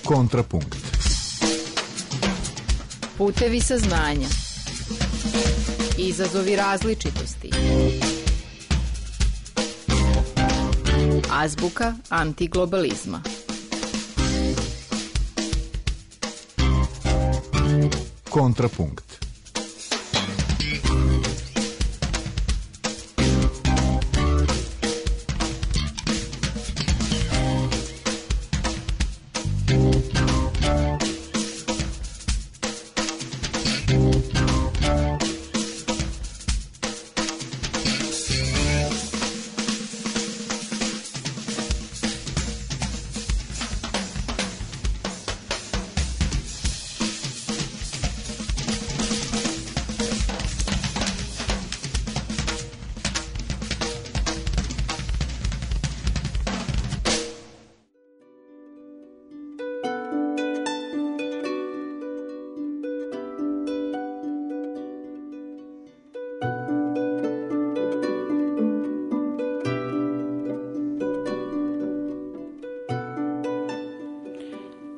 Kontrapunkt. Putevi saznanja. Izazovi različitosti. Azbuka antiglobalizma. Kontrapunkt.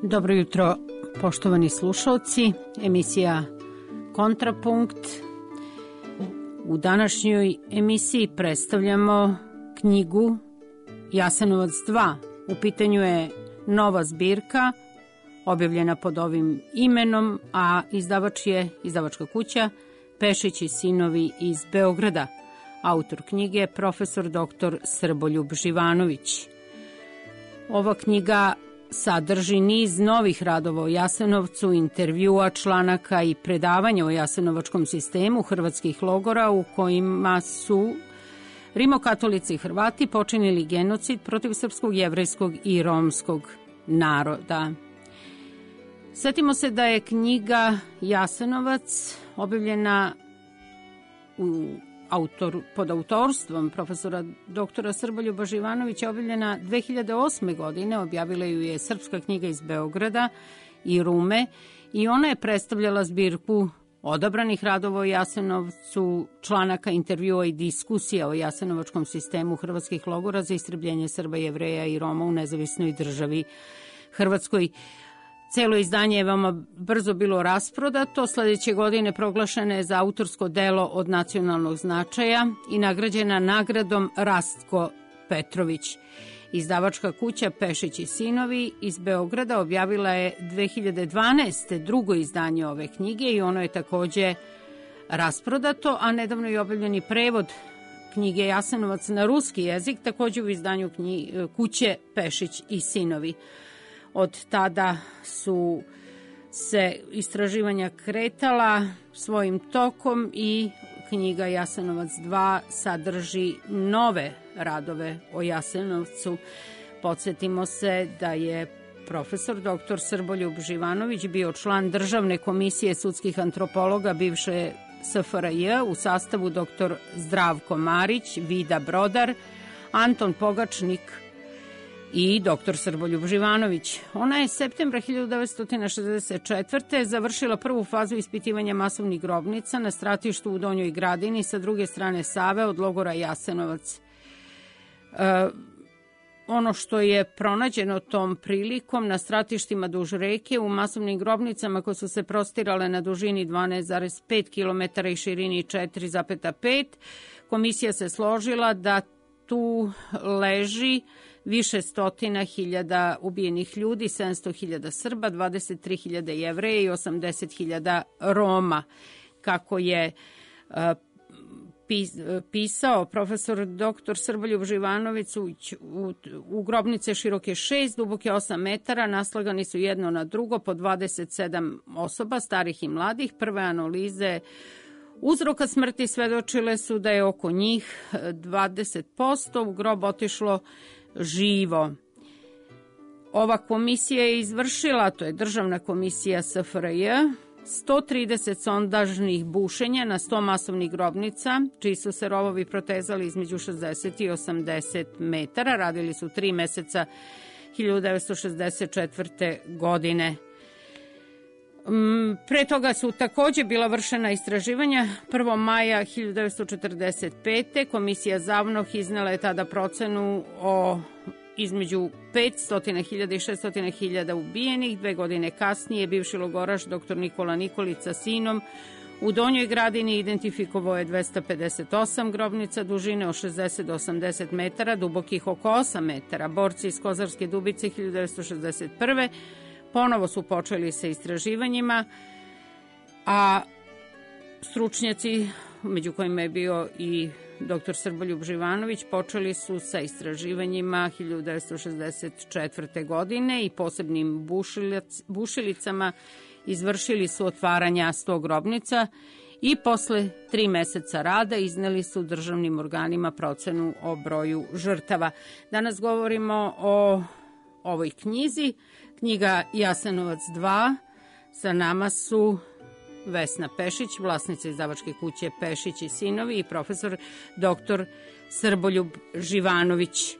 Dobro jutro, poštovani slušalci, emisija Kontrapunkt. U današnjoj emisiji predstavljamo knjigu Jasenovac 2. U pitanju je nova zbirka, objavljena pod ovim imenom, a izdavač je izdavačka kuća Pešić i sinovi iz Beograda. Autor knjige je profesor dr. Srboljub Živanović. Ova knjiga sadrži niz novih radova o Jasenovcu, intervjua, članaka i predavanja o jasenovačkom sistemu hrvatskih logora u kojima su rimokatolici i Hrvati počinili genocid protiv srpskog, jevrejskog i romskog naroda. Setimo se da je knjiga Jasenovac objavljena pod autorstvom profesora doktora Srboljuba Živanovića, objavljena 2008. godine. Objavila ju je Srpska knjiga iz Beograda i Rume i ona je predstavljala zbirku odabranih radova o Jasenovcu, članaka, intervjua i diskusija o jasenovačkom sistemu hrvatskih logora za istrebljenje Srba, Jevreja i Roma u nezavisnoj državi Hrvatskoj. Celo izdanje je veoma brzo bilo rasprodato. Sledeće godine proglašena je za autorsko delo od nacionalnog značaja i nagrađena nagradom Rastko Petrović. Izdavačka kuća Pešić i sinovi iz Beograda objavila je 2012. drugo izdanje ove knjige i ono je takođe rasprodato, a nedavno je objavljen i prevod knjige Jasenovac na ruski jezik, takođe u izdanju kuće Pešić i sinovi. Od tada su se istraživanja kretala svojim tokom i knjiga Jasenovac 2 sadrži nove radove o Jasenovcu. Podsjetimo se da je profesor dr. Srboljub Živanović bio član Državne komisije sudskih antropologa bivše SFRJ u sastavu dr. Zdravko Marić, Vida Brodar, Anton Pogačnik i dr. Srboljub Živanović. Ona je septembra 1964. završila prvu fazu ispitivanja masovnih grobnica na stratištu u Donjoj Gradini sa druge strane Save od logora Jasenovac. Ono što je pronađeno tom prilikom na stratištima duž reke u masovnim grobnicama koje su se prostirale na dužini 12,5 km i širini 4,5, komisija se složila da tu leži više stotina hiljada ubijenih ljudi, 700.000 Srba, 23.000 Jevreja i 80.000 Roma. Kako je pisao profesor dr. Srboljub Živanović, u grobnice široke 6, duboke 8 metara, naslagani su jedno na drugo po 27 osoba, starih i mladih. Prve analize uzroka smrti svedočile su da je oko njih 20% u grob otišlo živo. Ova komisija je izvršila, to je Državna komisija SFRJ, 130 sondažnih bušenja na 100 masovnih grobnica, čiji su se rovovi protezali između 60 i 80 metara. Radili su 3 meseca 1964. godine. Pre toga su takođe bila vršena istraživanja. 1. maja 1945. Komisija Zavnoh iznela je tada procenu o između 500.000 i 600.000 ubijenih. 2 godine kasnije bivši logoraš dr. Nikola Nikolić sa sinom u Donjoj Gradini identifikovao je 258 grobnica dužine od 60 do 80 metara, dubokih oko 8 metara. Borci iz Kozarske Dubice 1961. ponovo su počeli sa istraživanjima, a stručnjaci, među kojima je bio i dr. Srboljub Živanović, počeli su sa istraživanjima 1964. godine i posebnim bušilicama izvršili su otvaranja 100 grobnica i posle 3 meseca rada izneli su državnim organima procenu o broju žrtava. Danas govorimo o ovoj knjizi. Knjiga Jasenovac 2. Sa nama su Vesna Pešić, vlasnica izdavačke kuće Pešić i sinovi, i profesor dr. Srboljub Živanović.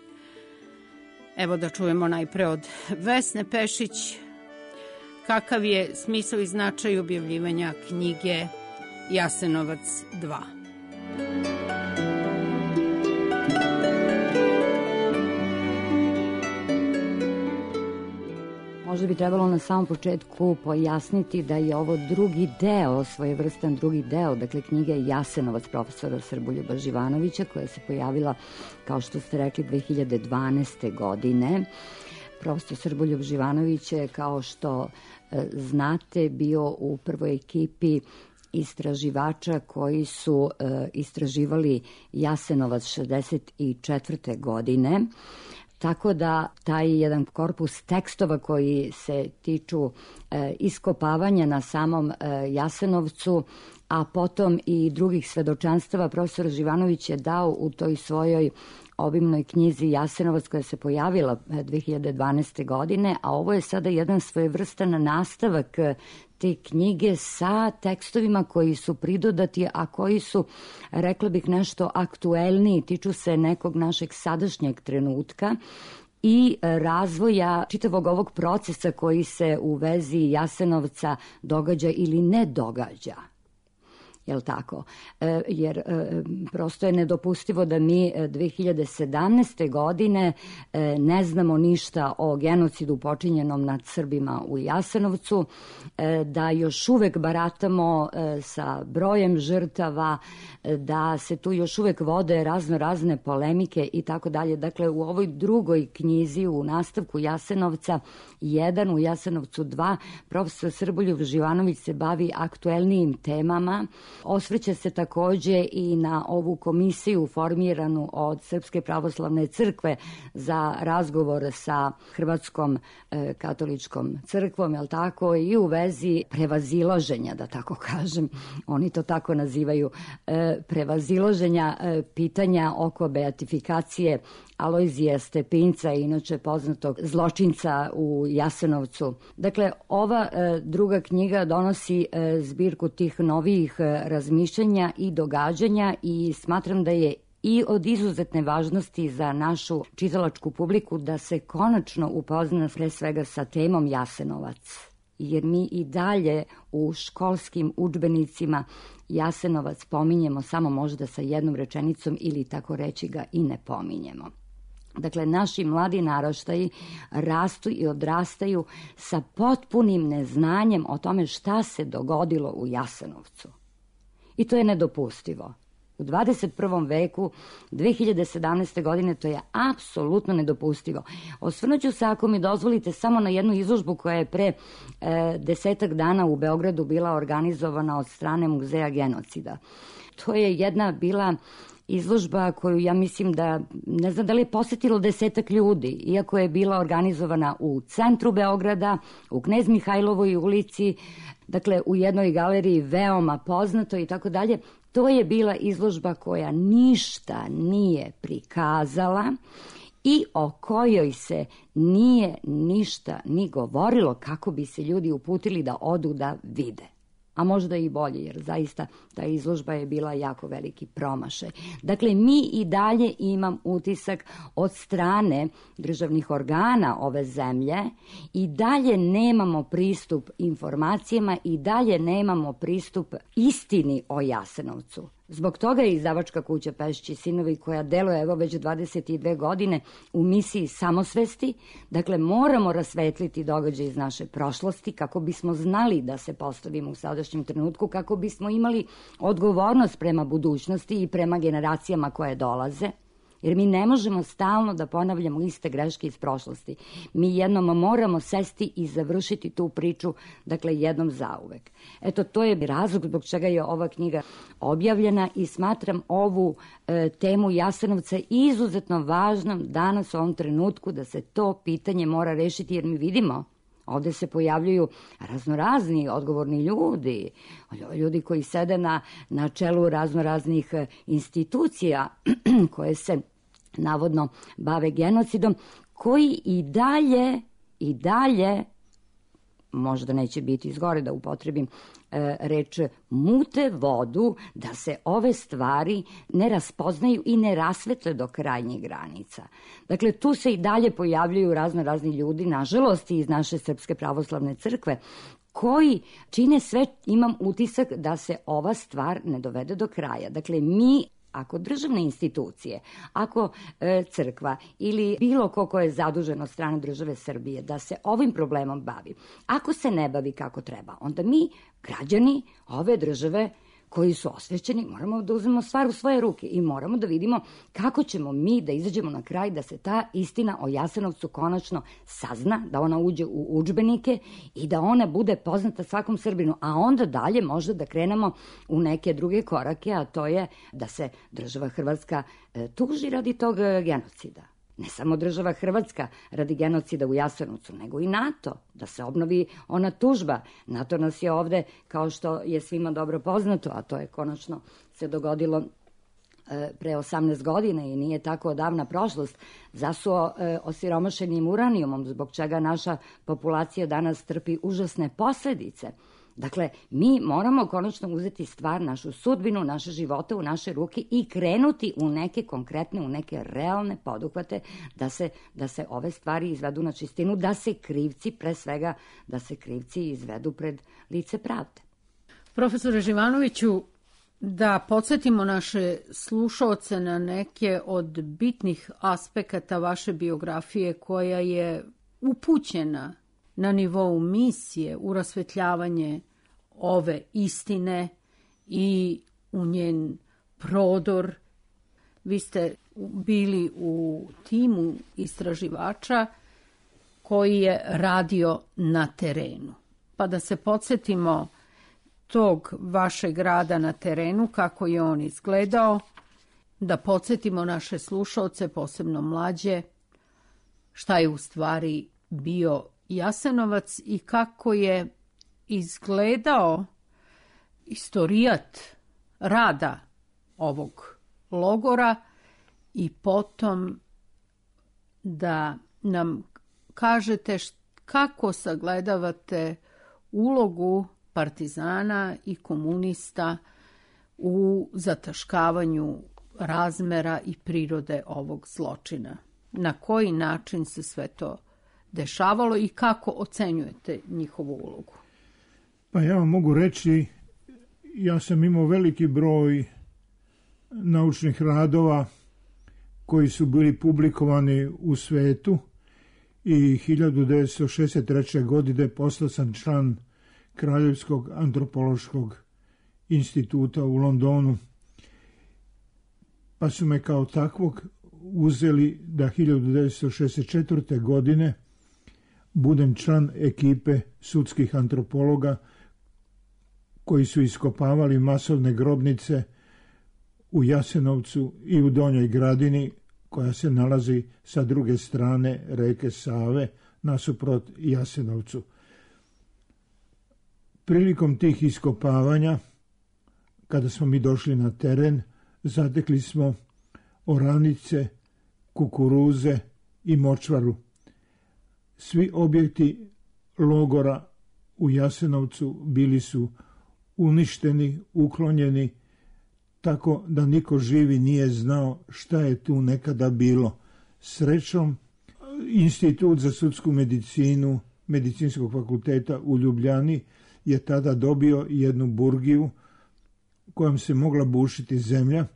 Evo da čujemo najpre od Vesne Pešić kakav je smisao i značaj objavljivanja knjige Jasenovac 2. Možda bi trebalo na samom početku pojasniti da je ovo drugi deo, svojevrstan drugi deo, dakle knjige Jasenovac profesora Srboljuba Živanovića, koja se pojavila, kao što ste rekli, 2012. godine. Profesor Srboljub Živanović je, kao što znate, bio u prvoj ekipi istraživača koji su istraživali Jasenovac 1964. godine. Tako da taj jedan korpus tekstova koji se tiču iskopavanja na samom Jasenovcu, a potom i drugih svedočanstava, profesor Živanović je dao u toj svojoj obimnoj knjizi Jasenovac, koja se pojavila 2012. godine, a ovo je sada jedan svojevrstan nastavak te knjige sa tekstovima koji su pridodati, a koji su, rekla bih, nešto aktuelniji, tiču se nekog našeg sadašnjeg trenutka i razvoja čitavog ovog procesa koji se u vezi Jasenovca događa ili ne događa. Jel tako? Jer prosto je nedopustivo da mi 2017. godine ne znamo ništa o genocidu počinjenom nad Srbima u Jasenovcu, da još uvek baratamo sa brojem žrtava, da se tu još uvek vode razne polemike i tako dalje. Dakle, u ovoj drugoj knjizi, u nastavku Jasenovca 1, u Jasenovcu 2, profesor Srboljub Živanović se bavi aktuelnijim temama. Osvrće se takođe i na ovu komisiju formiranu od Srpske pravoslavne crkve za razgovor sa Hrvatskom katoličkom crkvom, jel tako, i u vezi prevazilaženja, da tako kažem, oni to tako nazivaju, prevazilaženja pitanja oko beatifikacije Alojzija Stepinca, inače poznatog zločinca u Jasenovcu. Dakle, ova druga knjiga donosi zbirku tih novijih razmišljanja i događanja i smatram da je i od izuzetne važnosti za našu čitalačku publiku da se konačno upozna pre svega sa temom Jasenovac. Jer mi i dalje u školskim udžbenicima Jasenovac pominjemo samo možda sa jednom rečenicom ili tako reći ga i ne pominjemo. Dakle, naši mladi naraštaji rastu i odrastaju sa potpunim neznanjem o tome šta se dogodilo u Jasenovcu. I to je nedopustivo. U 21. veku, 2017. godine, to je apsolutno nedopustivo. Osvrnuću se, ako mi dozvolite, samo na jednu izložbu koja je pre 10 dana u Beogradu bila organizovana od strane Muzeja genocida. To je jedna bila izložba koju ja mislim da, ne znam da li je posetilo 10 ljudi, iako je bila organizovana u centru Beograda, u Knez Mihajlovoj ulici, dakle u jednoj galeriji veoma poznato i tako dalje. To je bila izložba koja ništa nije prikazala i o kojoj se nije ništa ni govorilo kako bi se ljudi uputili da odu da vide. A možda i bolje, jer zaista ta izložba je bila jako veliki promašaj. Dakle, mi i dalje imam utisak od strane državnih organa ove zemlje i dalje nemamo pristup informacijama i dalje nemamo pristup istini o Jasenovcu. Zbog toga je izdavačka kuća Pešić i sinovi, koja deluje evo već 22 godine u misiji samosvesti. Dakle, moramo rasvetliti događaje iz naše prošlosti kako bismo znali da se postavimo u sadašnjem trenutku, kako bismo imali odgovornost prema budućnosti i prema generacijama koje dolaze. Jer mi ne možemo stalno da ponavljamo iste greške iz prošlosti. Mi jednom moramo sesti i završiti tu priču, dakle, jednom zauvek. Eto, to je razlog zbog čega je ova knjiga objavljena i smatram ovu temu Jasenovca izuzetno važnom danas u ovom trenutku, da se to pitanje mora rešiti, jer mi vidimo ovde se pojavljuju raznorazni odgovorni ljudi, ljudi koji sede na čelu raznoraznih institucija koje se navodno bave genocidom, koji i dalje, možda neće biti izgore da upotrebim reč, mute vodu da se ove stvari ne raspoznaju i ne rasvetle do krajnjih granica. Dakle, tu se i dalje pojavljuju raznorazni ljudi, nažalost i iz naše Srpske pravoslavne crkve, koji čine sve, imam utisak, da se ova stvar ne dovede do kraja. Dakle, ako državne institucije, ako crkva ili bilo ko je zadužen od strane države Srbije da se ovim problemom bavi, ako se ne bavi kako treba, onda mi, građani ove države koji su osvećeni, moramo da uzmemo stvar u svoje ruke i moramo da vidimo kako ćemo mi da izađemo na kraj, da se ta istina o Jasenovcu konačno sazna, da ona uđe u udžbenike i da ona bude poznata svakom Srbinu, a onda dalje možda da krenemo u neke druge korake, a to je da se država Hrvatska tuži radi tog genocida. Ne samo država Hrvatska radi genocida u Jasenovcu, nego i NATO, da se obnovi ona tužba. NATO nas je ovde, kao što je svima dobro poznato, a to je konačno se dogodilo pre 18 godina i nije tako odavna prošlost, zasuo osiromašenim uranijumom, zbog čega naša populacija danas trpi užasne posledice. Dakle, mi moramo konačno uzeti stvar, našu sudbinu, naše živote u naše ruke i krenuti u neke konkretne, u neke realne poduhvate da se ove stvari izvedu na čistinu, da se krivci, pre svega, da se krivci izvedu pred lice pravde. Profesore Živanoviću, da podsjetimo naše slušaoce na neke od bitnih aspekata vaše biografije koja je upućena na nivou misije u rasvetljavanje ove istine i u njen prodor. Vi ste bili u timu istraživača koji je radio na terenu. Pa da se podsjetimo tog vašeg rada na terenu, kako je on izgledao, da podsjetimo naše slušaoce, posebno mlađe, šta je u stvari bio Jasenovac i kako je izgledao istorijat rada ovog logora i potom da nam kažete kako sagledavate ulogu partizana i komunista u zataškavanju razmera i prirode ovog zločina. Na koji način se sve to dešavalo i kako ocenjujete njihovu ulogu? Pa ja vam mogu reći, ja sam imao veliki broj naučnih radova koji su bili publikovani u svetu i 1963. godine postao sam član Kraljevskog antropološkog instituta u Londonu, pa su me kao takvog uzeli da 1964. godine budem član ekipe sudskih antropologa koji su iskopavali masovne grobnice u Jasenovcu i u Donjoj Gradini, koja se nalazi sa druge strane reke Save nasuprot Jasenovcu. Prilikom tih iskopavanja, kada smo mi došli na teren, zatekli smo oranice, kukuruze i močvaru. Svi objekti logora u Jasenovcu bili su uništeni, uklonjeni, tako da niko živi nije znao šta je tu nekada bilo. Srećom, Institut za sudsku medicinu Medicinskog fakulteta u Ljubljani je tada dobio jednu burgiju kojom se mogla bušiti zemlja,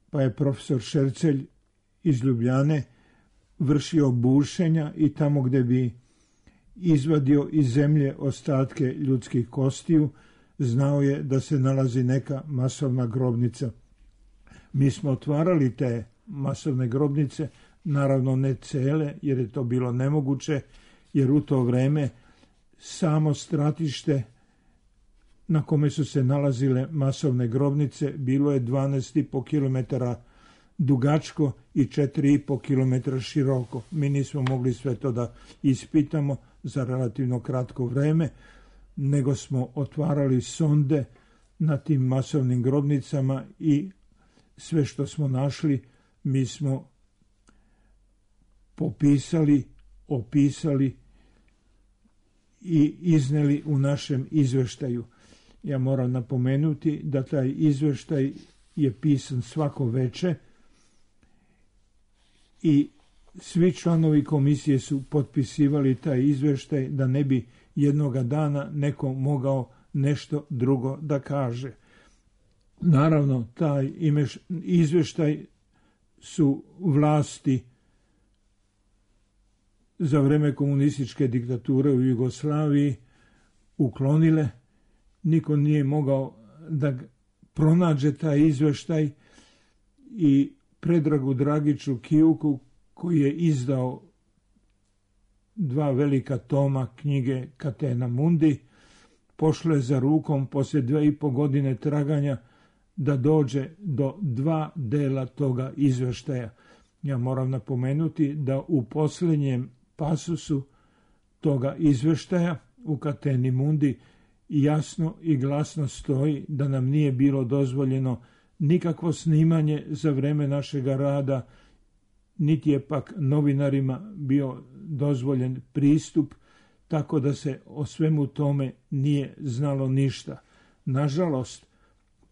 pa je profesor Šercelj iz Ljubljane vršio bušenja i tamo gdje bi izvadio iz zemlje ostatke ljudskih kostiju, znao je da se nalazi neka masovna grobnica. Mi smo otvarali te masovne grobnice, naravno ne cele, jer je to bilo nemoguće, jer u to vreme samo stratište na kome su se nalazile masovne grobnice bilo je 12,5 km dugačko i 4,5 km široko. Mi nismo mogli sve to da ispitamo za relativno kratko vreme, nego smo otvarali sonde na tim masovnim grobnicama i sve što smo našli mi smo popisali, opisali i izneli u našem izveštaju. Ja moram napomenuti da taj izveštaj je pisan svako veče i svi članovi komisije su potpisivali taj izveštaj da ne bi jednoga dana neko mogao nešto drugo da kaže. Naravno, taj izveštaj su vlasti za vreme komunističke diktature u Jugoslaviji uklonile. Niko nije mogao da pronađe taj izveštaj i Predragu Dragiću Kijuku, koji je izdao 2 velika toma knjige Catena Mundi, pošle za rukom poslije 2,5 godine traganja da dođe do 2 dela toga izveštaja. Ja moram napomenuti da u posljednjem pasusu toga izveštaja u Cateni Mundi jasno i glasno stoji da nam nije bilo dozvoljeno nikakvo snimanje za vreme našega rada, niti je pak novinarima bio dozvoljen pristup, tako da se o svemu tome nije znalo ništa. Nažalost,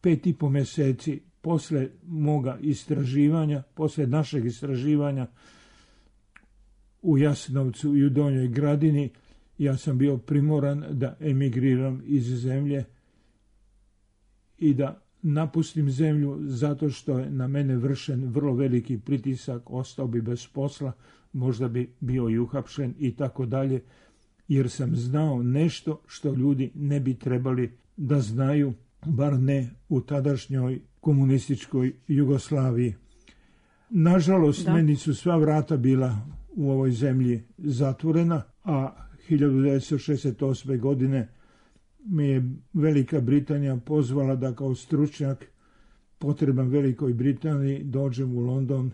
5,5 mjeseci posle moga istraživanja, posle našeg istraživanja u Jasenovcu i u Donjoj Gradini, ja sam bio primoran da emigriram iz zemlje i da napustim zemlju zato što je na mene vršen vrlo veliki pritisak, ostao bi bez posla, možda bi bio i uhapšen i tako dalje, jer sam znao nešto što ljudi ne bi trebali da znaju, bar ne u tadašnjoj komunističkoj Jugoslaviji. Nažalost, meni su sva vrata bila u ovoj zemlji zatvorena, a 1968. godine me je Velika Britanija pozvala da kao stručnjak potreban Velikoj Britaniji dođem u London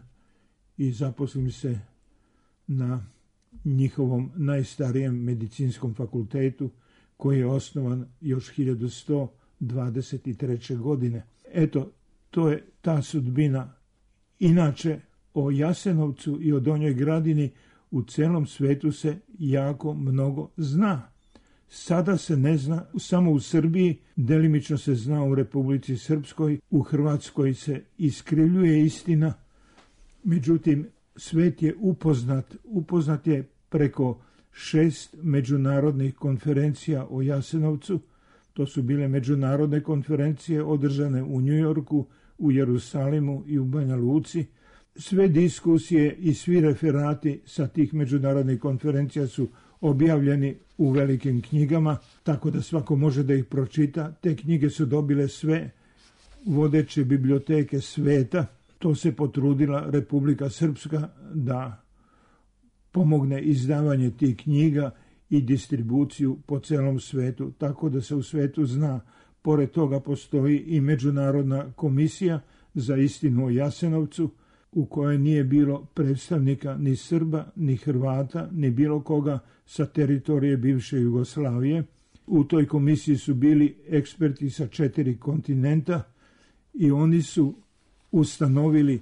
i zaposlim se na njihovom najstarijem medicinskom fakultetu koji je osnovan još 1123. godine. Eto, to je ta sudbina. Inače, o Jasenovcu i o Donjoj Gradini u celom svetu se jako mnogo zna. Sada se ne zna samo u Srbiji, delimično se zna u Republici Srpskoj, u Hrvatskoj se iskrivljuje istina, međutim svet je upoznat je preko 6 međunarodnih konferencija o Jasenovcu. To su bile međunarodne konferencije održane u Njujorku, u Jerusalimu i u Banja Luci. Sve diskusije i svi referati sa tih međunarodnih konferencija su objavljeni u velikim knjigama, tako da svako može da ih pročita. Te knjige su dobile sve vodeće biblioteke sveta. To se potrudila Republika Srpska da pomogne izdavanje tih knjiga i distribuciju po celom svetu, tako da se u svetu zna. Pored toga postoji i Međunarodna komisija za istinu o Jasenovcu, u kojoj nije bilo predstavnika ni Srba, ni Hrvata, ni bilo koga sa teritorije bivše Jugoslavije. U toj komisiji su bili eksperti sa 4 kontinenta i oni su ustanovili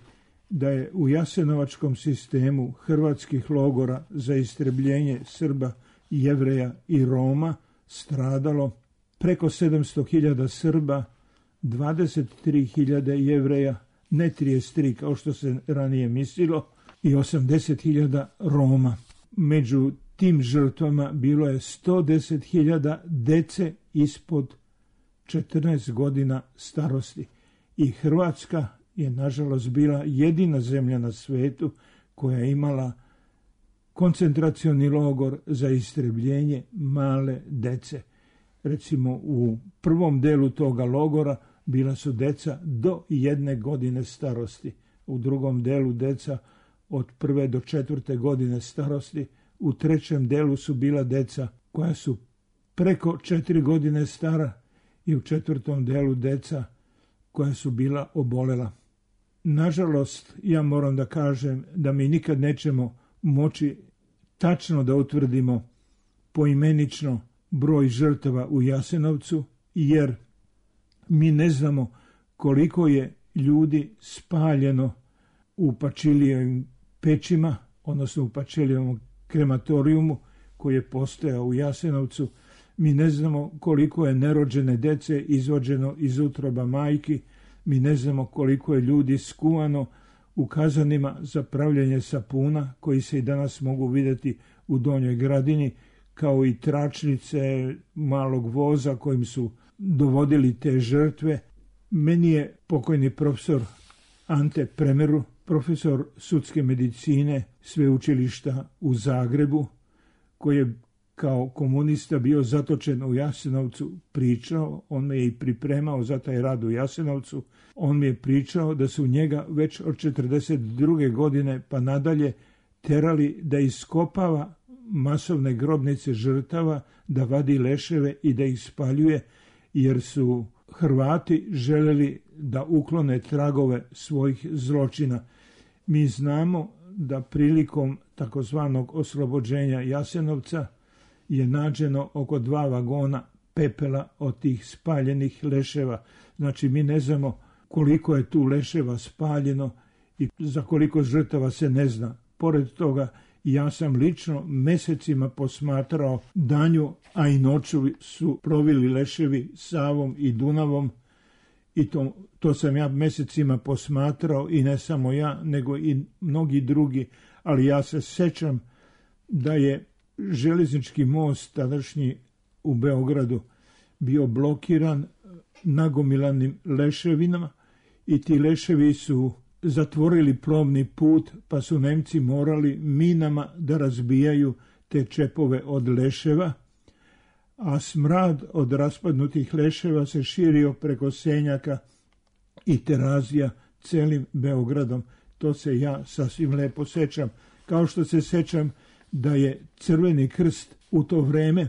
da je u jasenovačkom sistemu hrvatskih logora za istrebljenje Srba, Jevreja i Roma stradalo preko 700.000 Srba, 23.000 Jevreja, ne 33 kao što se ranije mislilo, i 80.000 Roma. Među tim žrtvama bilo je 110.000 dece ispod 14 godina starosti. I Hrvatska je nažalost bila jedina zemlja na svetu koja je imala koncentracioni logor za istrebljenje male dece. Recimo u prvom delu toga logora bila su deca do 1 godine starosti, u drugom delu deca od 1. do 4. godine starosti, u trećem delu su bila deca koja su preko 4 godine stara i u četvrtom delu deca koja su bila obolela. Nažalost, ja moram da kažem da mi nikad nećemo moći tačno da utvrdimo poimenično broj žrtava u Jasenovcu, jer mi ne znamo koliko je ljudi spaljeno u Pačilijevim pećima, odnosno u Pačilijevom krematorijumu koji je postojao u Jasenovcu. Mi ne znamo koliko je nerođene dece izvođeno iz utroba majki, mi ne znamo koliko je ljudi skuvano u kazanima za pravljenje sapuna koji se i danas mogu vidjeti u Donjoj Gradini, kao i tračnice malog voza kojim su dovodili te žrtve. Meni je pokojni profesor Ante Premeru, profesor sudske medicine sveučilišta u Zagrebu, koji je kao komunista bio zatočen u Jasenovcu, pričao, on me je i pripremao za taj rad u Jasenovcu, on mi je pričao da su njega već od 42. godine pa nadalje terali da iskopava masovne grobnice žrtava, da vadi leševe i da ih spaljuje, jer su Hrvati želeli da uklone tragove svojih zločina. Mi znamo da prilikom takozvanog oslobođenja Jasenovca je nađeno oko 2 vagona pepela od tih spaljenih leševa. Znači, mi ne znamo koliko je tu leševa spaljeno i za koliko žrtava se ne zna. Pored toga, ja sam lično mesecima posmatrao danju, a i noću su provili leševi Savom i Dunavom, i to sam ja mesecima posmatrao, i ne samo ja, nego i mnogi drugi, ali ja se sećam da je železnički most tadašnji u Beogradu bio blokiran nagomilanim leševinama i ti leševi su zatvorili plovni put, pa su Nemci morali minama da razbijaju te čepove od leševa, a smrad od raspadnutih leševa se širio preko Senjaka i Terazija celim Beogradom. To se ja sasvim lepo sećam. Kao što se sećam da je Crveni krst u to vreme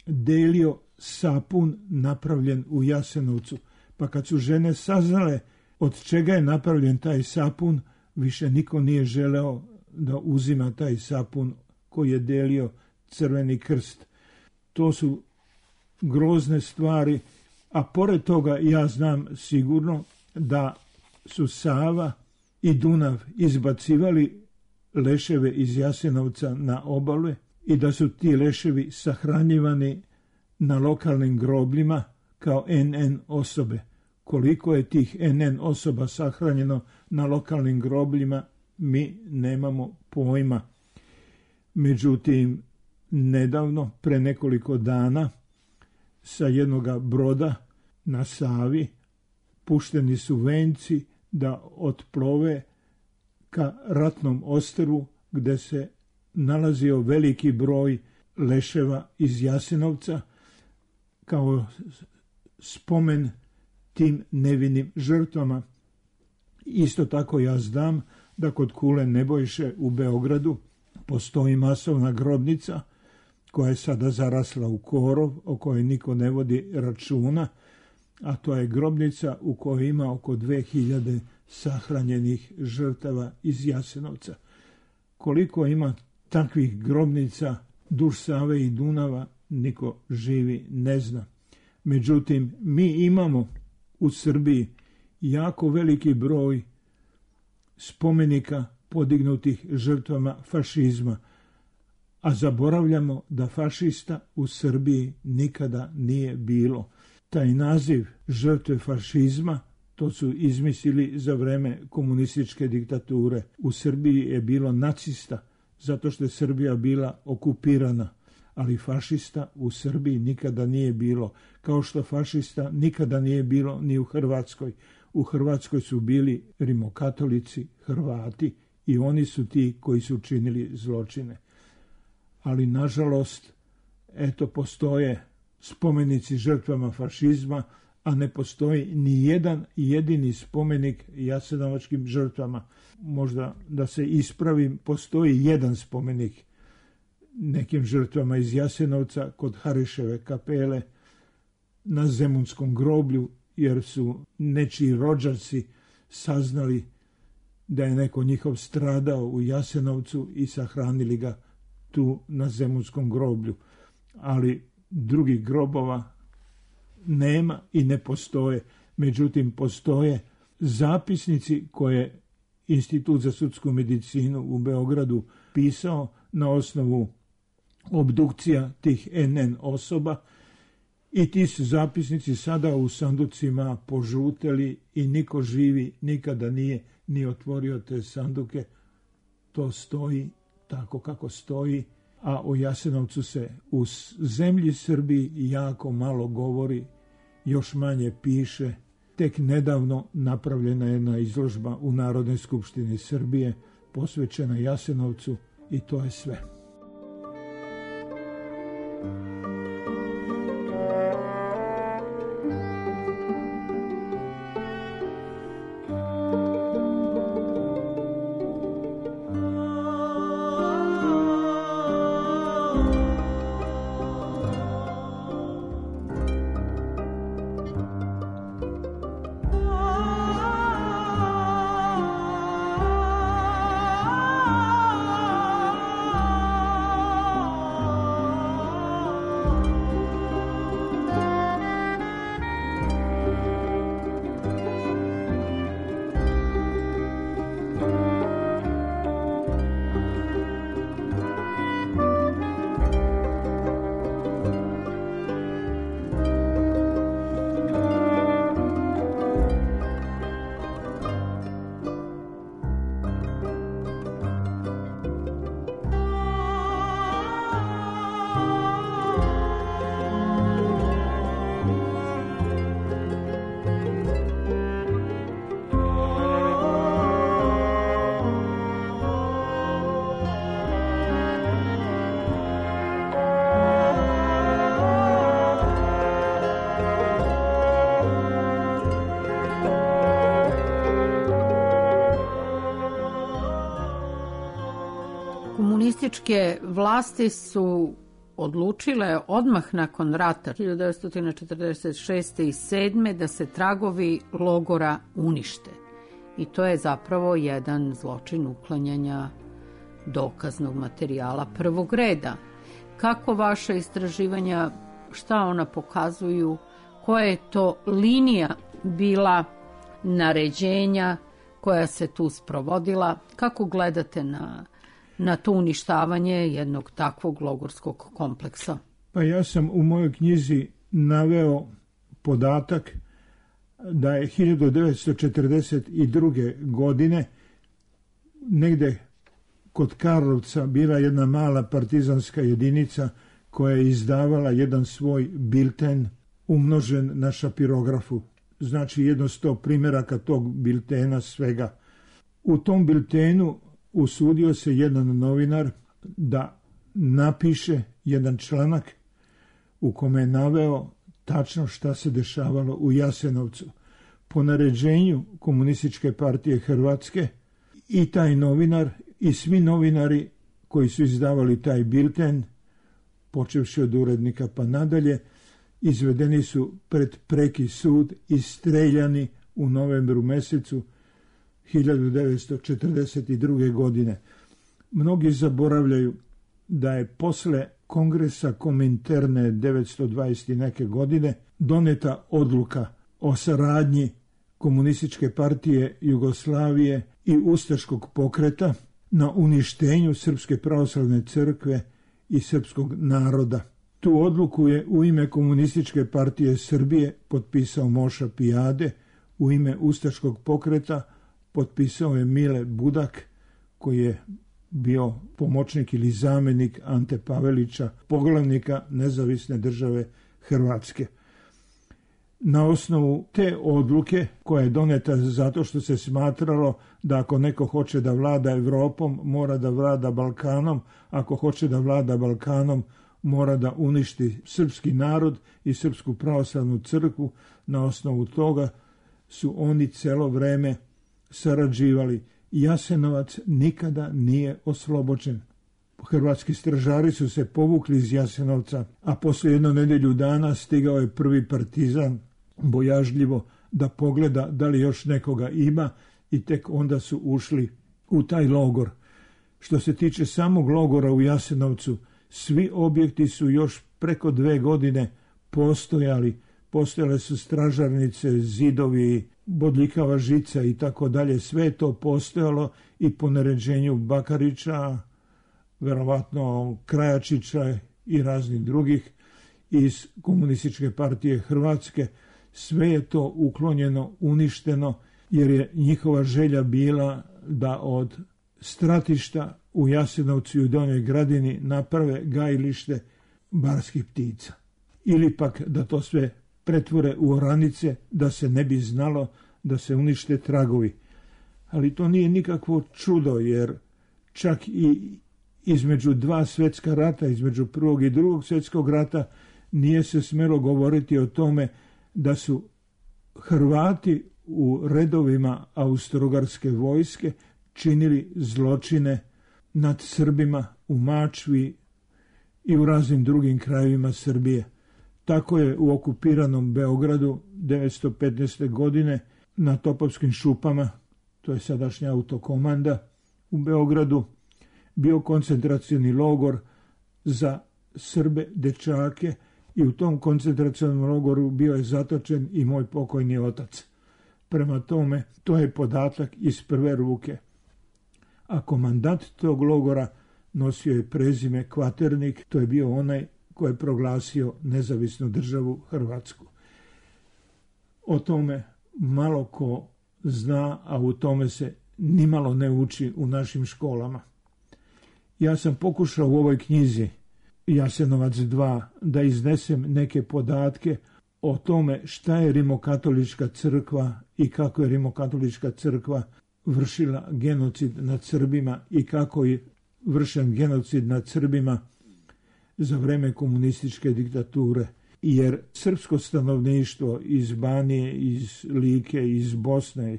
delio sapun napravljen u Jasenovcu, pa kad su žene saznale od čega je napravljen taj sapun, više niko nije želeo da uzima taj sapun koji je delio Crveni krst. To su grozne stvari, a pored toga ja znam sigurno da su Sava i Dunav izbacivali leševe iz Jasenovca na obale i da su ti leševi sahranjivani na lokalnim grobljima kao NN osobe. Koliko je tih NN osoba sahranjeno na lokalnim grobljima, mi nemamo pojma. Međutim, nedavno, pre nekoliko dana, sa jednoga broda na Savi pušteni su venci da otplove ka ratnom ostrvu gde se nalazio veliki broj leševa iz Jasenovca kao spomen tim nevinim žrtvama. Isto tako ja znam da kod Kule Nebojše u Beogradu postoji masovna grobnica koja je sada zarasla u korov, o kojoj niko ne vodi računa, a to je grobnica u kojoj ima oko 2000 sahranjenih žrtava iz Jasenovca. Koliko ima takvih grobnica duž Save i Dunava, niko živi ne zna. Međutim, mi imamo u Srbiji jako veliki broj spomenika podignutih žrtvama fašizma, a zaboravljamo da fašista u Srbiji nikada nije bilo. Taj naziv žrtve fašizma to su izmislili za vreme komunističke diktature. U Srbiji je bilo nacista zato što je Srbija bila okupirana, ali fašista u Srbiji nikada nije bilo, kao što fašista nikada nije bilo ni u Hrvatskoj. U Hrvatskoj su bili rimokatolici, Hrvati, i oni su ti koji su činili zločine. Ali nažalost, eto, postoje spomenici žrtvama fašizma, a ne postoji ni jedan jedini spomenik jasenovačkim žrtvama. Možda da se ispravim, postoji jedan spomenik nekim žrtvama iz Jasenovca kod Hariševe kapele na Zemunskom groblju, jer su nečiji rođaci saznali da je neko njihov stradao u Jasenovcu i sahranili ga tu na Zemunskom groblju. Ali drugih grobova nema i ne postoje. Međutim, postoje zapisnici koje Institut za sudsku medicinu u Beogradu pisao na osnovu obdukcija tih NN osoba, i ti su zapisnici sada u sanducima požuteli i niko živi nikada nije ni otvorio te sanduke. To stoji tako kako stoji, a o Jasenovcu se u zemlji Srbiji jako malo govori, još manje piše. Tek nedavno napravljena je jedna izložba u Narodnoj skupštini Srbije posvećena Jasenovcu i to je sve. Komunističke vlasti su odlučile odmah nakon rata 1946. i 1947. da se tragovi logora unište. I to je zapravo jedan zločin uklanjanja dokaznog materijala prvog reda. Kako vaše istraživanja, šta ona pokazuju, koja je to linija bila naređenja koja se tu sprovodila, kako gledate na to uništavanje jednog takvog logorskog kompleksa? Pa ja sam u mojoj knjizi naveo podatak da je 1942. godine negde kod Karlovca bila jedna mala partizanska jedinica koja je izdavala jedan svoj bilten umnožen na šapirografu. Znači 100 primjeraka tog biltena svega. U tom biltenu usudio se jedan novinar da napiše jedan članak u kome je naveo tačno šta se dešavalo u Jasenovcu. Po naređenju Komunističke partije Hrvatske i taj novinar i svi novinari koji su izdavali taj bilten, počevši od urednika pa nadalje, izvedeni su pred preki sud i streljani u novembru mesecu 1942. godine. Mnogi zaboravljaju da je posle kongresa Kominterne 920 neke godine doneta odluka o saradnji Komunističke partije Jugoslavije i ustaškog pokreta na uništenju Srpske pravoslavne crkve i srpskog naroda. Tu odluku je u ime Komunističke partije Srbije potpisao Moša Pijade, u ime ustaškog pokreta potpisao je Mile Budak, koji je bio pomoćnik ili zamjenik Ante Pavelića, poglavnika Nezavisne države Hrvatske. Na osnovu te odluke koja je doneta zato što se smatralo da ako neko hoće da vlada Evropom, mora da vlada Balkanom, ako hoće da vlada Balkanom, mora da uništi srpski narod i Srpsku pravoslavnu crkvu. Na osnovu toga su oni celo vreme sarađivali. Jasenovac nikada nije oslobođen. Hrvatski stražari su se povukli iz Jasenovca, a posle jednu nedelju dana stigao je prvi partizan bojažljivo da pogleda da li još nekoga ima i tek onda su ušli u taj logor. Što se tiče samog logora u Jasenovcu, svi objekti su još preko 2 godine postojali. Postojale su stražarnice, zidovi, bodljikava žica i tako dalje. Sve je to postojalo i po naređenju Bakarića, verovatno Krajačića i raznih drugih iz Komunističke partije Hrvatske. Sve je to uklonjeno, uništeno, jer je njihova želja bila da od stratišta u Jasenovcu i u Donjoj Gradini naprave gajilište barskih ptica. Ili pak da to sve pretvore u oranice, da se ne bi znalo, da se unište tragovi. Ali to nije nikakvo čudo, jer čak i između 2 svjetska rata, između Prvog i Drugog svjetskog rata, nije se smelo govoriti o tome da su Hrvati u redovima Austro-Ugarske vojske činili zločine nad Srbima u Mačvi i u raznim drugim krajevima Srbije. Tako je u okupiranom Beogradu 1915. godine na Topovskim šupama, to je sadašnja autokomanda u Beogradu, bio koncentracioni logor za Srbe, dečake, i u tom koncentracionom logoru bio je zatočen i moj pokojni otac. Prema tome, to je podatak iz prve ruke. A komandant tog logora nosio je prezime Kvaternik, to je bio onaj koji je proglasio nezavisnu državu Hrvatsku. O tome malo ko zna, a u tome se nimalo ne uči u našim školama. Ja sam pokušao u ovoj knjizi Jasenovac 2 da iznesem neke podatke o tome šta je Rimokatolička crkva i kako je Rimokatolička crkva vršila genocid nad Srbima i kako je vršen genocid nad Srbima za vreme komunističke diktature. Jer srpsko stanovništvo iz Banije, iz Like, iz Bosne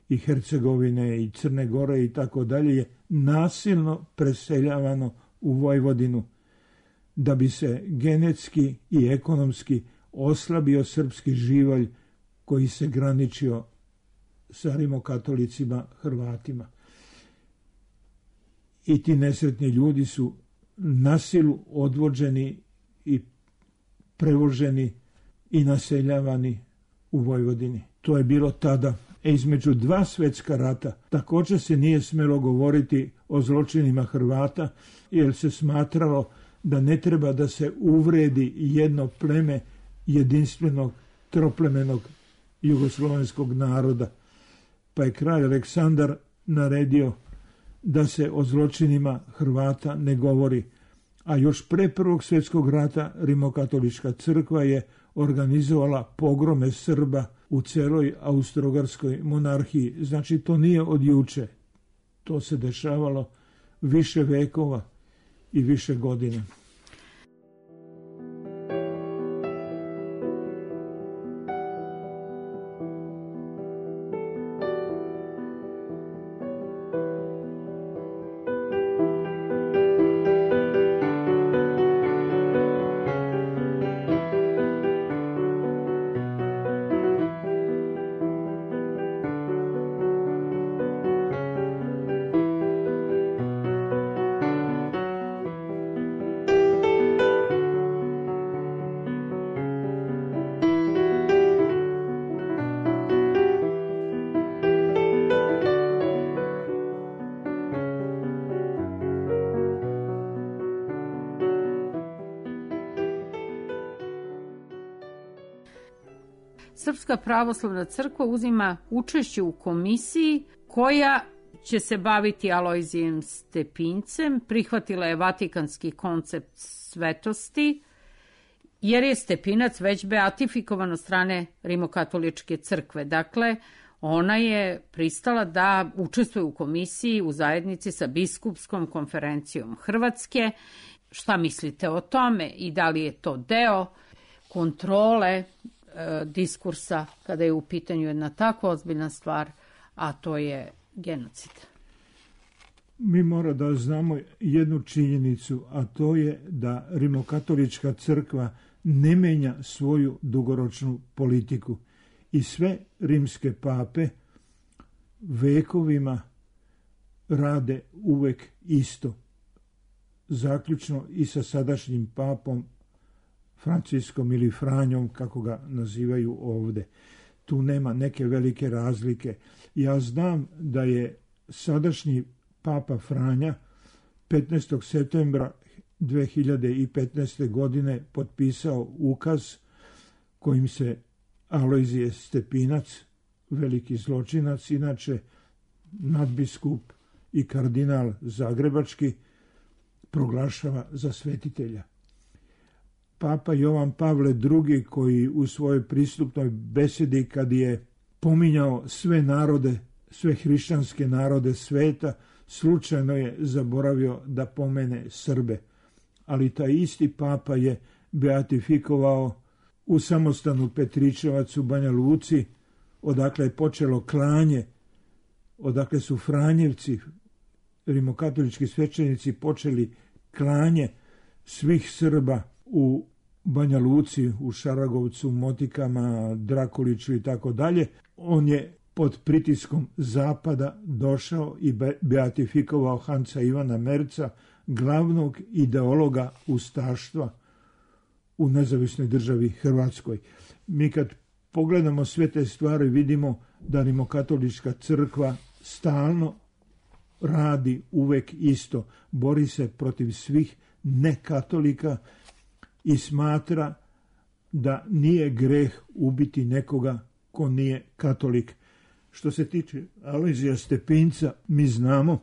i Hercegovine i Crne Gore i tako dalje je nasilno preseljavano u Vojvodinu da bi se genetski i ekonomski oslabio srpski živalj koji se graničio sa rimokatolicima Hrvatima. I ti nesretni ljudi su na silu odvođeni i prevoženi i naseljavani u Vojvodini. To je bilo tada. Između 2 svjetska rata također se nije smelo govoriti o zločinima Hrvata, jer se smatralo da ne treba da se uvredi jedno pleme jedinstvenog troplemenog jugoslovenskog naroda. Pa je kralj Aleksandar naredio da se o zločinima Hrvata ne govori. A još pre Prvog svjetskog rata Rimokatolička crkva je organizovala pogrome Srba u celoj Austro-Ugarskoj monarhiji. Znači, to nije od juče. To se dešavalo više vekova i više godina. Srpska pravoslavna crkva uzima učešće u komisiji koja će se baviti Alojzijem Stepincem. Prihvatila je vatikanski koncept svetosti, jer je Stepinac već beatifikovan od strane Rimokatoličke crkve. Dakle, ona je pristala da učestvuje u komisiji u zajednici sa Biskupskom konferencijom Hrvatske. Šta mislite o tome i da li je to deo kontrole diskursa kada je u pitanju jedna tako ozbiljna stvar, a to je genocid? Mi mora da znamo jednu činjenicu, a to je da Rimokatolička crkva ne menja svoju dugoročnu politiku i sve rimske pape vekovima rade uvek isto. Zaključno i sa sadašnjim papom Franciskom ili Franjom, kako ga nazivaju ovde. Tu nema neke velike razlike. Ja znam da je sadašnji papa Franja 15. septembra 2015. godine potpisao ukaz kojim se Alojzije Stepinac, veliki zločinac, inače nadbiskup i kardinal zagrebački, proglašava za svetitelja. Papa Jovan Pavle II, koji u svojoj pristupnoj besedi, kad je pominjao sve narode, sve hrišćanske narode sveta, slučajno je zaboravio da pomene Srbe. Ali taj isti papa je beatifikovao u samostanu Petričevac u Banja Luci, odakle je počelo klanje, odakle su Franjevci, rimokatolički svećenici, počeli klanje svih Srba u Banja Luci, u Šaragovcu, Motikama, Drakuliću i tako dalje. On je pod pritiskom zapada došao i beatifikovao Hanca Ivana Merca, glavnog ideologa ustaštva u nezavisnoj državi Hrvatskoj. Mi kad pogledamo sve te stvari vidimo da Rimokatolička crkva stalno radi uvek isto. Bori se protiv svih nekatolika i smatra da nije greh ubiti nekoga ko nije katolik. Što se tiče Alojzija Stepinca, mi znamo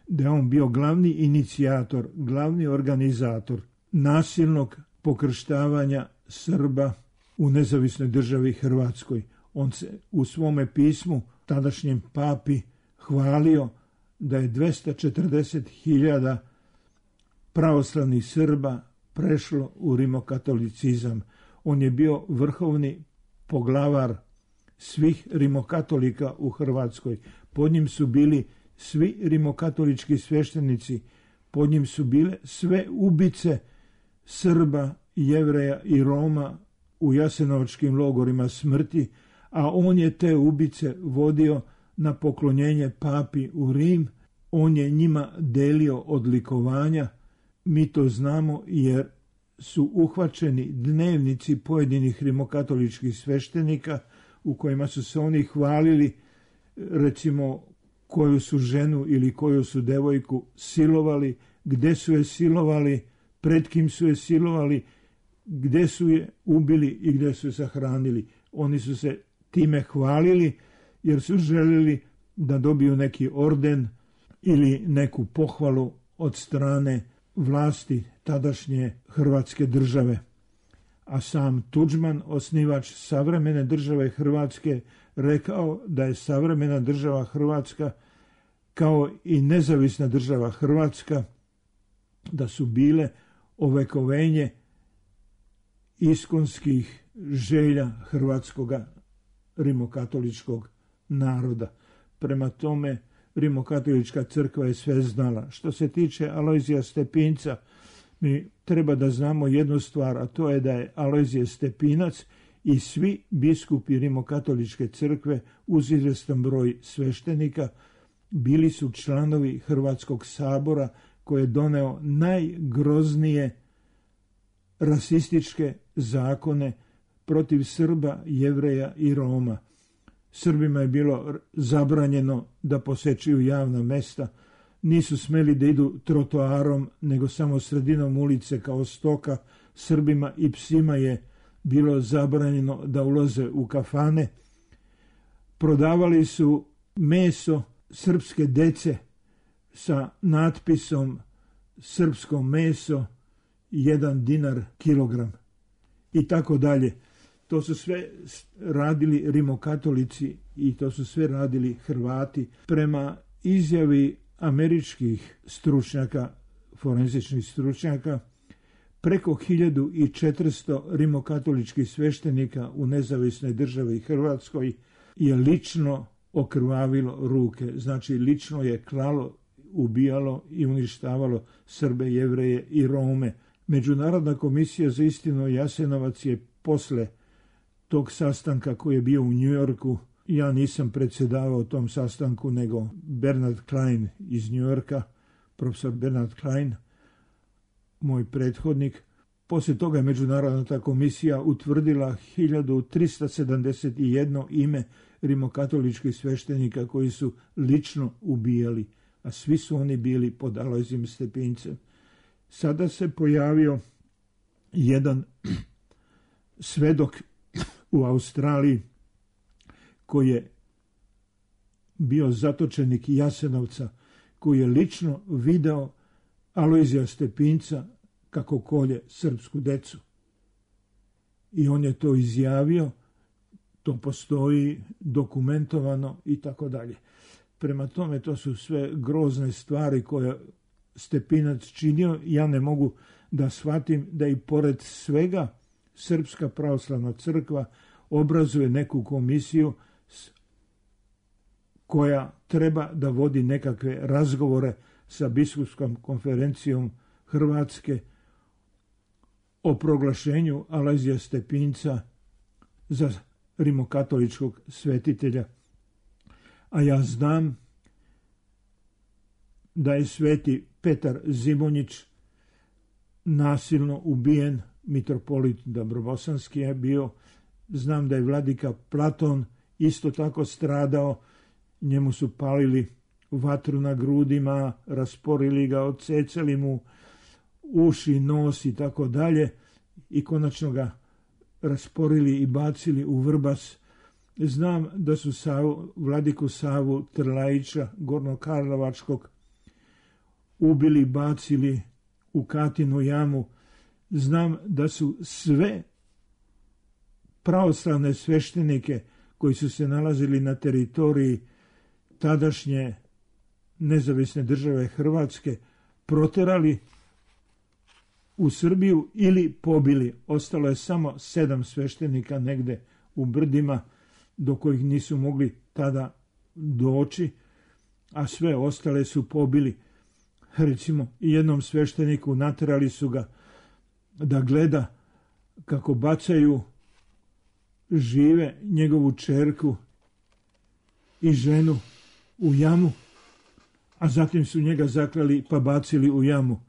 da je on bio glavni inicijator, glavni organizator nasilnog pokrštavanja Srba u nezavisnoj državi Hrvatskoj. On se u svome pismu tadašnjem papi hvalio da je 240.000 pravoslavnih Srba prešlo u rimokatolicizam. On je bio vrhovni poglavar svih rimokatolika u Hrvatskoj. Pod njim su bili svi rimokatolički sveštenici, pod njim su bile sve ubice Srba, Jevreja i Roma u jasenovačkim logorima smrti, a on je te ubice vodio na poklonjenje papi u Rim. On je njima delio odlikovanja. Mi to znamo jer su uhvaćeni dnevnici pojedinih rimokatoličkih sveštenika u kojima su se oni hvalili, recimo, koju su ženu ili koju su devojku silovali, gde su je silovali, pred kim su je silovali, gde su je ubili i gde su je sahranili. Oni su se time hvalili jer su željeli da dobiju neki orden ili neku pohvalu od strane vlasti tadašnje Hrvatske države. A sam Tuđman, osnivač savremene države Hrvatske, rekao da je savremena država Hrvatska kao i nezavisna država Hrvatska, da su bile ovekovenje iskonskih želja hrvatskoga rimokatoličkog naroda. Prema tome, Rimokatolička crkva je sve znala. Što se tiče Alojzija Stepinca, mi treba da znamo jednu stvar, a to je da je Alojzije Stepinac i svi biskupi Rimokatoličke crkve uz izvestan broj sveštenika bili su članovi Hrvatskog sabora koji je doneo najgroznije rasističke zakone protiv Srba, Jevreja i Roma. Srbima je bilo zabranjeno da posečuju javna mesta, nisu smeli da idu trotoarom, nego samo sredinom ulice kao stoka. Srbima i psima je bilo zabranjeno da ulaze u kafane. Prodavali su meso srpske dece sa natpisom srpsko meso 1 dinar kilogram i tako dalje. To su sve radili rimokatolici i to su sve radili Hrvati. Prema izjavi američkih stručnjaka, forenzičnih stručnjaka, preko 1400 rimokatoličkih sveštenika u nezavisnoj državi Hrvatskoj je lično okrvavilo ruke. Znači, lično je klalo, ubijalo i uništavalo Srbe, Jevreje i Rome. Međunarodna komisija za istinu Jasenovac je posle tog sastanka koji je bio u Njujorku, ja nisam predsjedavao tom sastanku, nego Bernard Klein iz Njujorka, profesor Bernard Klein, moj prethodnik. Poslije toga je Međunarodna komisija utvrdila 1371 ime rimokatoličkih sveštenika koji su lično ubijali, a svi su oni bili pod Alojzijom Stepincem. Sada se pojavio jedan svedok u Australiji koji je bio zatočenik Jasenovca, koji je lično video Alojzija Stepinca kako kolje srpsku decu. I on je to izjavio, to postoji dokumentovano i tako dalje. Prema tome, to su sve grozne stvari koje Stepinac činio. Ja ne mogu da shvatim da i pored svega Srpska pravoslavna crkva obrazuje neku komisiju koja treba da vodi nekakve razgovore sa biskupskom konferencijom Hrvatske o proglašenju Alojzija Stepinca za rimokatoličkog svetitelja. A ja znam da je sveti Petar Zimonjić nasilno ubijen, mitropolit Dabrobosanski je bio. Znam da je vladika Platon isto tako stradao, njemu su palili vatru na grudima, rasporili ga, odsecali mu uši, nos i tako dalje i konačno ga rasporili i bacili u Vrbas. Znam da su vladiku Savu Trlajića, Gornokarlovačkog, ubili, bacili u Katinu jamu. Znam da su sve pravoslavne sveštenike koji su se nalazili na teritoriji tadašnje nezavisne države Hrvatske proterali u Srbiju ili pobili. Ostalo je samo 7 sveštenika negde u brdima do kojih nisu mogli tada doći, a sve ostale su pobili. Recimo, jednom svešteniku naterali su ga da gleda kako bacaju žive njegovu čerku i ženu u jamu, a zatim su njega zaklali pa bacili u jamu.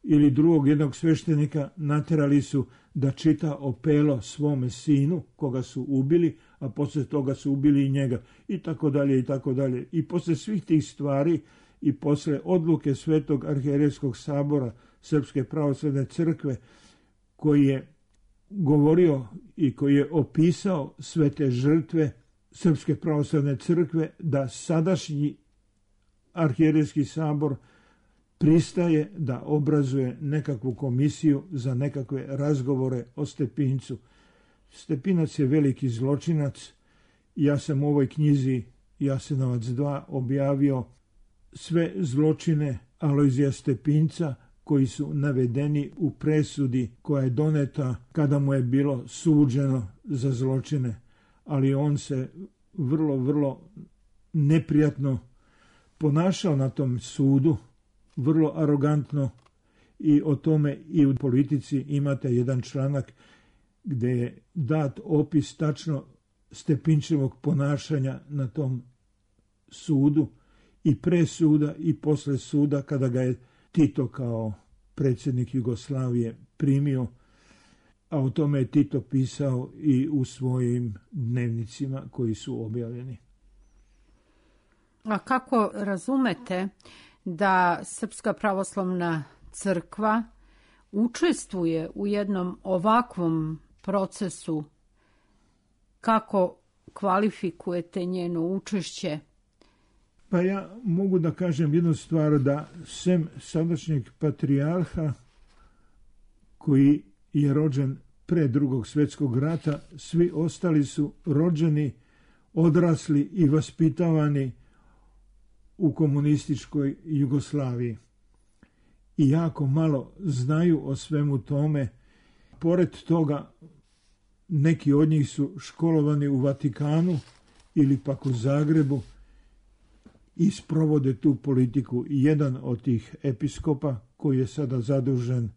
Ili drugog jednog sveštenika naterali su da čita opelo svome sinu koga su ubili, a poslije toga su ubili i njega i tako dalje i tako dalje. I poslije svih tih stvari i poslije odluke Svetog arhijerejskog sabora Srpske pravoslavne crkve koji je govorio i koji je opisao sve te žrtve Srpske pravoslavne crkve, da sadašnji arhijerejski sabor pristaje da obrazuje nekakvu komisiju za nekakve razgovore o Stepincu. Stepinac je veliki zločinac. Ja sam u ovoj knjizi Jasenovac 2 objavio sve zločine Alojzija Stepinca koji su navedeni u presudi koja je doneta kada mu je bilo suđeno za zločine. Ali on se vrlo neprijatno ponašao na tom sudu, vrlo arogantno, i o tome i u Politici imate jedan članak gdje je dat opis tačno Stepinčevog ponašanja na tom sudu i pre suda i posle suda kada ga je Tito kao predsjednik Jugoslavije primio, a o tome je Tito pisao i u svojim dnevnicima koji su objavljeni. A kako razumete da Srpska pravoslavna crkva učestvuje u jednom ovakvom procesu? Kako kvalifikujete njeno učešće? Pa ja mogu da kažem jednu stvar, da sem sadašnjeg patrijarha koji je rođen pre Drugog svjetskog rata, svi ostali su rođeni, odrasli i vaspitavani u komunističkoj Jugoslaviji. I jako malo znaju o svemu tome. Pored toga, neki od njih su školovani u Vatikanu ili pak u Zagrebu i sprovode tu politiku. Jedan od tih episkopa, koji je sada zadužen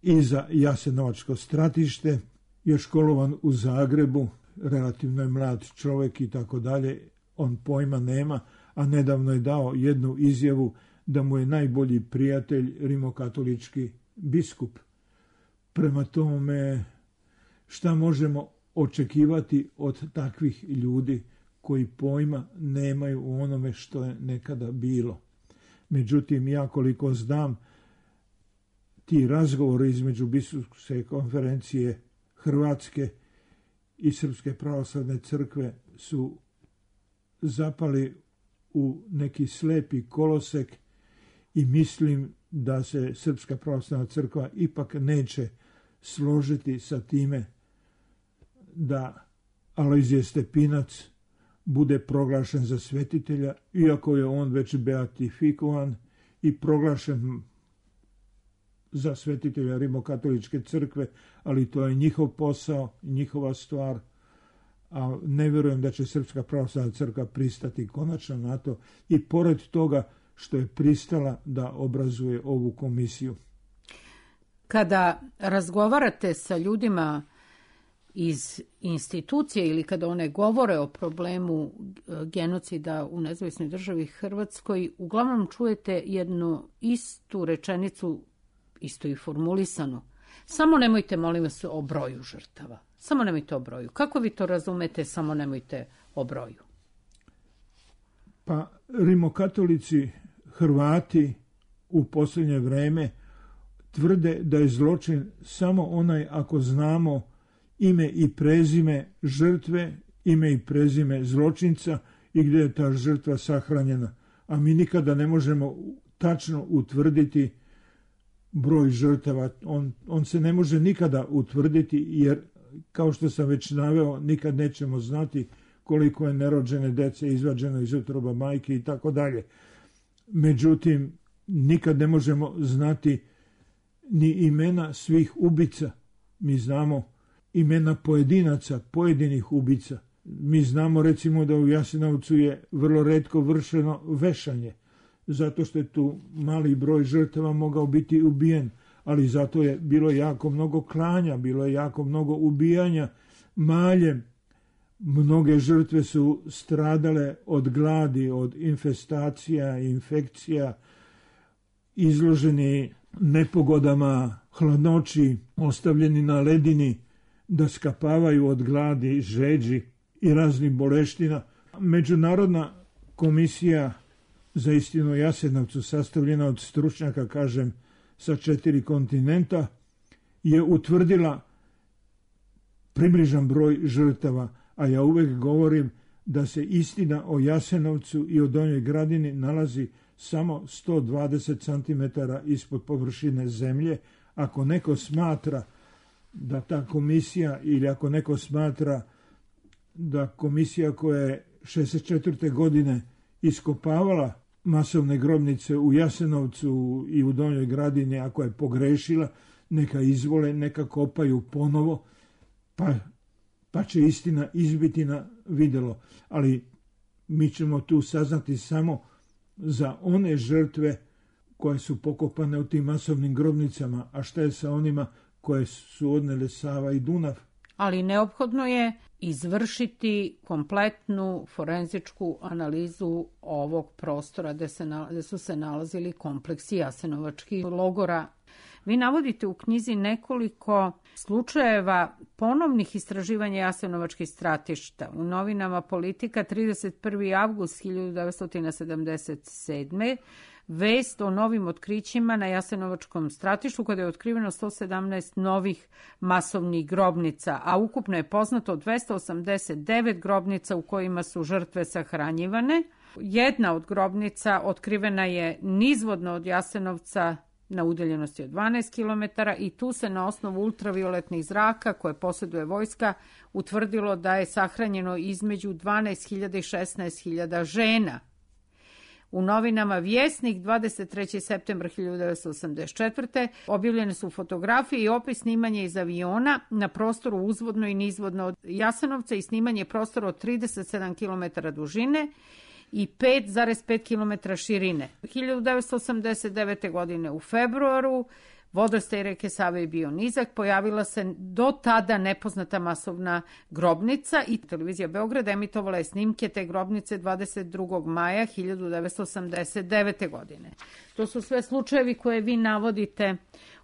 i za Jasenovačko stratište, je školovan u Zagrebu, relativno je mlad čovjek i tako dalje, on pojma nema, a nedavno je dao jednu izjavu da mu je najbolji prijatelj rimokatolički biskup. Prema tome, šta možemo očekivati od takvih ljudi koji pojma nemaju u onome što je nekada bilo? Međutim, ja koliko znam, ti razgovori između biskupske konferencije Hrvatske i Srpske pravoslavne crkve su zapali u neki slepi kolosek i mislim da se Srpska pravoslavna crkva ipak neće složiti sa time da Alojzije Stepinac bude proglašen za svetitelja, iako je on već beatifikovan i proglašen za svetitelja Rimokatoličke crkve, ali to je njihov posao, njihova stvar, a ne vjerujem da će Srpska pravoslavna crkva pristati konačno na to, i pored toga što je pristala da obrazuje ovu komisiju. Kada razgovarate sa ljudima iz institucije ili kada one govore o problemu genocida u nezavisnoj državi Hrvatskoj, uglavnom čujete jednu istu rečenicu, isto i formulisanu. Samo nemojte, molim vas, o broju žrtava. Samo nemojte o broju. Kako vi to razumete, samo nemojte o broju? Pa rimokatolici Hrvati u posljednje vreme tvrde da je zločin samo onaj ako znamo ime i prezime žrtve, ime i prezime zločinca i gdje je ta žrtva sahranjena. A mi nikada ne možemo tačno utvrditi broj žrtava. On se ne može nikada utvrditi, jer kao što sam već naveo, nikad nećemo znati koliko je nerođene dece izvađeno iz utroba majke i tako dalje. Međutim, nikad ne možemo znati ni imena svih ubica. Mi znamo imena pojedinaca, pojedinih ubica. Mi znamo recimo da u Jasenovcu je vrlo retko vršeno vešanje, zato što je tu mali broj žrtava mogao biti ubijen, ali zato je bilo jako mnogo klanja, bilo je jako mnogo ubijanja maljem. Mnoge žrtve su stradale od gladi, od infestacija, infekcija, izloženi nepogodama, hladnoći, ostavljeni na ledini da skapavaju od gladi, žeđi i raznih boleština. Međunarodna komisija za istinu o Jasenovcu, sastavljena od stručnjaka, kažem, sa 4 kontinenta, je utvrdila približan broj žrtava, a ja uvek govorim da se istina o Jasenovcu i o Donjoj Gradini nalazi samo 120 cm ispod površine zemlje. Ako neko smatra da ta komisija, ili ako neko smatra da komisija koja je 64. godine iskopavala masovne grobnice u Jasenovcu i u Donjoj Gradini, ako je pogrešila, neka izvole, neka kopaju ponovo, pa će istina izbiti na videlo. Ali mi ćemo tu saznati samo za one žrtve koje su pokopane u tim masovnim grobnicama, a šta je sa onima koje su odnele Sava i Dunav? Ali neophodno je izvršiti kompletnu forenzičku analizu ovog prostora gde su se nalazili kompleksi jasenovačkih logora. Vi navodite u knjizi nekoliko slučajeva ponovnih istraživanja jasenovačkih stratišta. U novinama Politika 31. avgust 1977. Vest o novim otkrićima na jasenovačkom stratištu, kada je otkriveno 117 novih masovnih grobnica, a ukupno je poznato 289 grobnica u kojima su žrtve sahranjivane. Jedna od grobnica otkrivena je nizvodno od Jasenovca na udaljenosti od 12 km i tu se na osnovu ultravioletnih zraka koje posjeduje vojska utvrdilo da je sahranjeno između 12.000 i 16.000 žena. U novinama Vjesnik 23. septembra 1984. objavljene su fotografije i opis snimanja iz aviona na prostoru uzvodno i nizvodno od Jasenovca i snimanje prostora od 37 km dužine i 5,5 km širine. 1989. godine u februaru vodostaj reke Save je bio nizak, pojavila se do tada nepoznata masovna grobnica i televizija Beograda emitovala je snimke te grobnice 22. maja 1989. godine. To su sve slučajevi koje vi navodite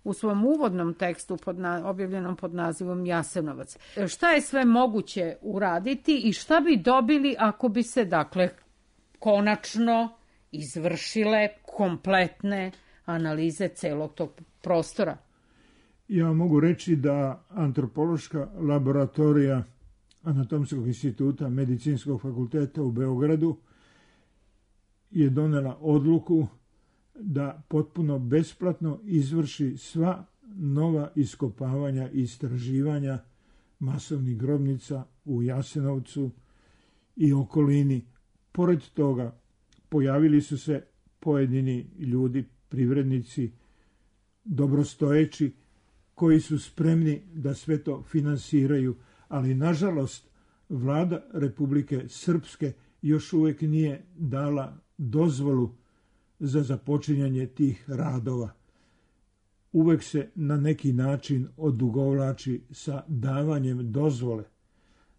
u svom uvodnom tekstu objavljenom pod nazivom Jasenovac. Šta je sve moguće uraditi i šta bi dobili ako bi se, dakle, konačno izvršile kompletne analize celog tog prostora? Ja mogu reći da antropološka laboratorija Anatomskog instituta Medicinskog fakulteta u Beogradu je donela odluku da potpuno besplatno izvrši sva nova iskopavanja i istraživanja masovnih grobnica u Jasenovcu i okolini. Pored toga, pojavili su se pojedini ljudi, privrednici, dobrostojeći, koji su spremni da sve to finansiraju, ali nažalost vlada Republike Srpske još uvijek nije dala dozvolu za započinjanje tih radova. Uvek se na neki način odugovlači sa davanjem dozvole.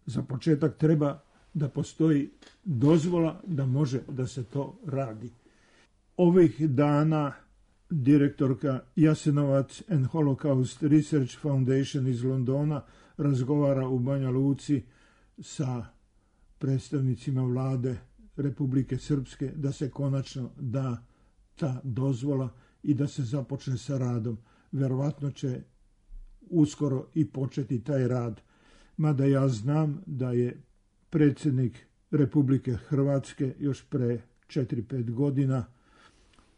Za početak treba da postoji dozvola da može da se to radi. Ovih dana direktorka Jasenovac and Holocaust Research Foundation iz Londona razgovara u Banja Luci sa predstavnicima vlade Republike Srpske da se konačno da ta dozvola i da se započne sa radom. Verovatno će uskoro i početi taj rad. Mada ja znam da je predsjednik Republike Hrvatske još pre 4-5 godina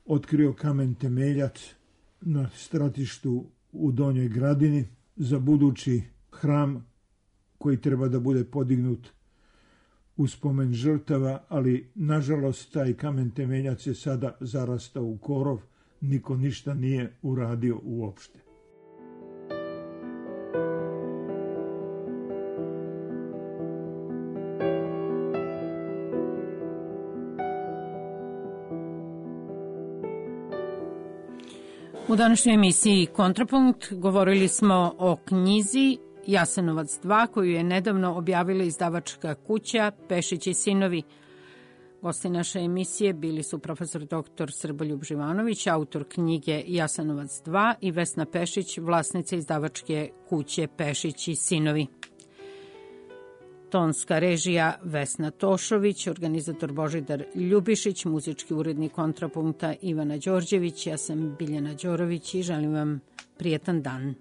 otkrio kamen temeljac na stratištu u Donjoj Gradini za budući hram koji treba da bude podignut u spomen žrtava, ali nažalost taj kamen temeljac je sada zarastao u korov, niko ništa nije uradio uopšte. U današnjoj emisiji Kontrapunkt govorili smo o knjizi Jasenovac 2, koju je nedavno objavila izdavačka kuća Pešić i sinovi. Gosti naše emisije bili su profesor dr. Srboljub Živanović, autor knjige Jasenovac 2, i Vesna Pešić, vlasnica izdavačke kuće Pešić i sinovi. Tonska režija Vesna Tošović, organizator Božidar Ljubišić, muzički urednik Kontrapunkta Ivana Đorđević. Ja sam Biljana Đorović i želim vam prijetan dan.